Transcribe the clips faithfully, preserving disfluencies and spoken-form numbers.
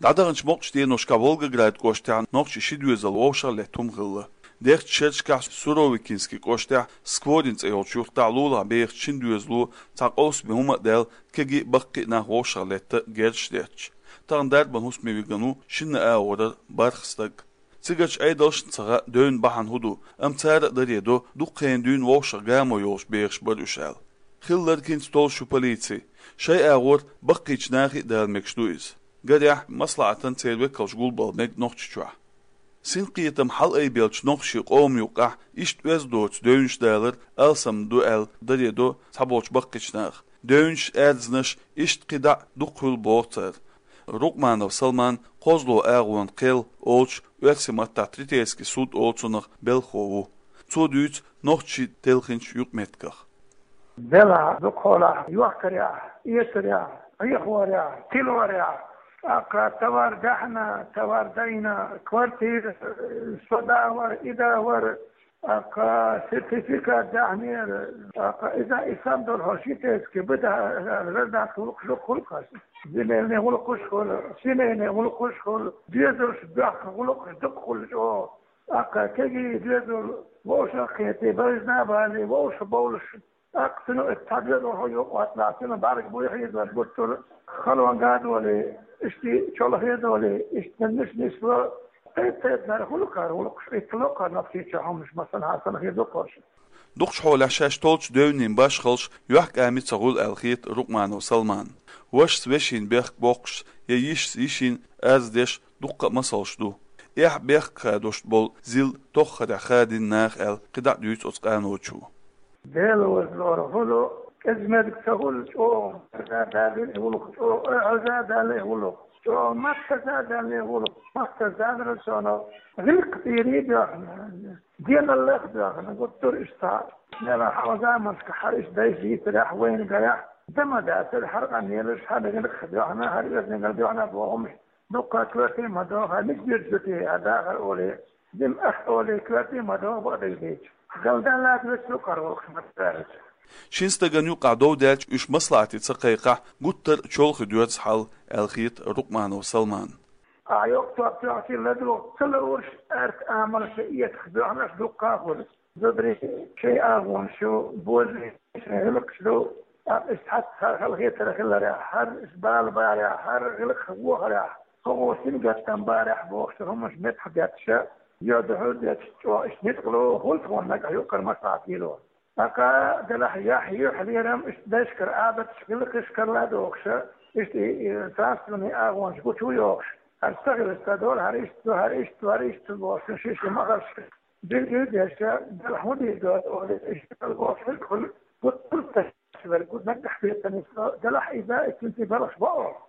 ДӀадаханчу мукъачу деношкахь Волгоград кӀоштахь нохчийн ши доьзал вовшахлетта хӀума хилла. Дехачу шерашкахь Суровикинский кӀоштахь Скворин цӀе йолчу юьртахь лулахь бехачу шина доьзало цхьа къовсаме хӀума а даьлла, кегий а, баккхий а нах вовшахлетта герзаш детташ. Тахана дарбан хӀусаме вигна ву шинна агӀорара бархӀ стаг. Цигарчу Ӏедалшна ца хаьа, девнан бахьана хӀун ду, амма цара а даре до, дукха хенахь дуьйна вовшах гамо йолуш бехаш бара уьш аьлла. Хилларг хӀинца толлуш ю полици. Шайн агӀор баккхийчу нахе а дала мегаш ду иза. Гарехь, маслаӀатан церан векалш гулбала мега Нохчийчохь. Синкхетам хьалаайбеллачу нохчийн къоман юккъехь иштта оьзда доцу девнаш далар алсам ду аьлла даре до цхьаболчу баккхийчу наха. Девнаш, аьрзнаш иштта кхидӀа а дукха хуьлу боху цара. Рукъманов Салман кхозлагӀа агӀонан кхел олуш оьрсийн маттахь третейский суд олу цунах белхахо ву. Цо дуьйцу нохчийн телхинчу юкъаметтигах. Делахь, дукхахьолахь, йохкарехь, эцарехь, Ӏехорехь, тилорехь, тӀаккха товар даьхьна, товар дайна, квартира, э, со да вара, и да вара, тӀаккха сертификат даьхьнера, тӀаккха иза и санна долу хьо ши теске бу да, гражданский гӀуллакхаш дукха хуьлу хьо. Земельный гӀуллакхаш хуьлу, семейный гӀуллакхаш хуьлу, доьзалш бехк гӀуллакхаш дукха хуьлу чӀогӀа. ТӀаккха кегий доьзал вовшах а кхетий, байжина а балий, вовшах бовлуш. ТӀаккха цуьнан оцу цхьа доьзал хьо юкъа ватлахь, цуьнан бӀаьрг буй хьийзор гуттар а, халонга а долий, иштта чолхе а долий, иштта ниш нисло, кхайкхетнара хуьлу кхара гӀуллакхаш, иттало кхара Нохчийчохь хӀуманаш, масала, хьан санна хир ду кхуьш. Дукхачу хьолехь шаьш толлучу девнийн башхаллаш юьхькӀаме ца хуьлу аьлла хета Рукъманов Салманна. Вашас вешин бехк боккхуш я йишас йишин арз деш дуккха а масалш ду. Эхь бехк хадош болу зил тоххарехь хадийна наха аьлла кхидӀа а дуьйцу оцу къаночо. Дела вазлора хуьлу, кӀезмерг ца хуьлу, чӀогӀа хьажа далла и гӀуллакх, чӀогӀа хьажа далла и гӀуллакх, чӀогӀа маттаза далла и гӀуллакх, маттаза далара цунах, гӀиллакх тӀера а доьхна, деналлех а доьхна, гуттар а иштта. Мела хьалха заманашка хьара иштта дайша йийцарехь, вайна гарехь, дан ма дацара хьара къамелаш, хьара гӀиллакх а доьхна, хьара оьздангалла доьхна боху хӀумнаш. Дуккха коьрте ма догӀу, хьан мича дуьржу те, хьан дахар олий, дин ах олий, коьрте ма догӀу бакъдерг дийча. Галдалла вуьту кхара воккхуш ма цаьрца. Шина стагана юккъехь дов даьлча, уьш маслаӀате ца кхайкхахь, гуттар а чолхе доьрзу хьал аьлла хета Рукъманов Салманна. Ахьа йоккха топ тоьхчий ладугӀу ца лууш, аьрта амалш а, этах доьхнарш дуккха а хуьлу. Зударий шайн агӀонаш ю, божарий шайн гӀиллакхаш ду, тӀаккха иштта хьаца хьара халахетар хиларехь, хьара иштта бала барехь, хьара гӀиллакх вохарехь, хӀокхо сингаттам барехь бохуш хӀуманаш меттах детташ, йоьдуш хӀуьттуш, чӀогӀа иштта ницкъало хуьлу тхуна нагахь юккъара маслаӀат лело. ТӀаккха делахь яхь юьхь лерам иштта дайшкара, Ӏадаташ, гӀиллакхашкара ладогӀуш, иштта и, и царственный агӀонаш гучу йохуш, хӀара ца хилча ца долу, хӀара иштта ду, хӀара иштта ду, хӀара иштта ду бохуш, ши-ши махарш. Билггал деш, делахь хӀун дийр ду, олий, иштта бохуш, гуттар а верг, гуттар а наггахь бетта нисло, делахь иза, и цуьнций балхаш бо оха.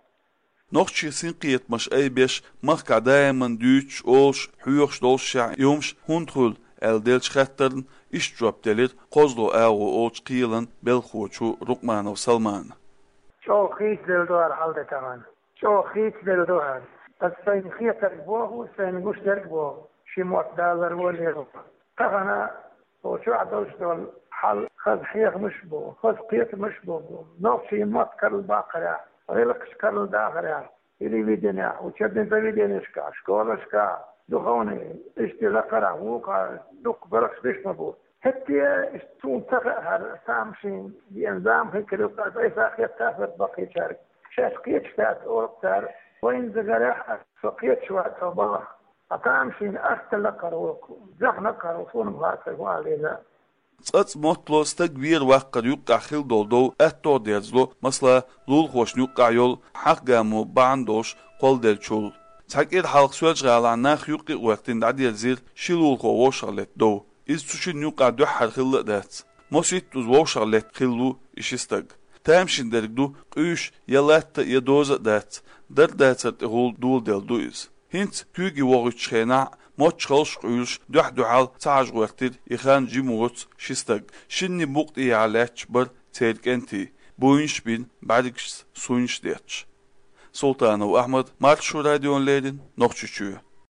Нохчийн синкхетамаш айбеш, махкахь даиман дуьйцуш, олуш, хьоьхуш долушшехь, и хӀумаш хӀунда хуьлу аьлла деллачу хаттарна иштта жоп делира кхозлагӀа агӀо олучу кхелан белхахочо Рукъманов Салмана. ЧӀогӀа хийцаделла ду хӀара хьал де тахана. ЧӀогӀа хийцаделла ду хӀара. Аса сайна хетарг боху, сайна гуш дерг боху, ши мотт далар валера. Тахана оцу чохь долуш долу хьал хаза хьехамаш а бу, хаза кхетамаш а бу, бу. Нохчийн мотт карладаккхарехь, гӀиллакхаш карладахарехь, телевиденехь, учебный заведенешкахь, школашкахь, духовный, иштта лакхарахь, вукхара дуккха бархаш беш ма бу. ХӀетте а иштта суна ца хаьа хӀара тамашийна деана зама хир ю, аса айса хетта а хӀоьттина баккхийчаьрга. Шаьш кхеташ дац олу цара, вайна дагарехь а, со кхеташ вац, со балахь. Ткъа тамашийна асталла кхара ву, зехна кхара ву, суна ма хаьа, ца валийна. ЦӀацӀа моттало стаг вер-ваккхар юккъехь хила долу дов аьтто дерзало, масала, лулахошна юккъехь йолу хьагӀ-гамо бахьана долуш кхолладеллачул. Цхьа кӀира хьалха Соьлжа-ГӀалахь нах юккъе а гӀоьртина дӀадерзийра ши лулахо вовшахлетта дов. Иза цу шинна юккъехь дуьххьара хилла а дац. Масийтта уза вовшахлетта хилла ву и ши стаг. Тамашийна дерг ду, къуьйсуш я латта а, я доза а дац, дар-дацар тӀехула доладелла ду иза. ХӀинца куьйге вохуьйтучу хенахь а, мочхалш а къуьйлуш, дуьхь-дуьхьал ца хьажа гӀоьртира и хан жима воцу ши стаг. Шинна букъа тӀехьа лаьтташ бара церан кӀентий, буйнаш а бина, бӀаьргашца суйнаш а детташ. Султанов Ахьмад, Маршо радиона леррина, Нохчийчоь.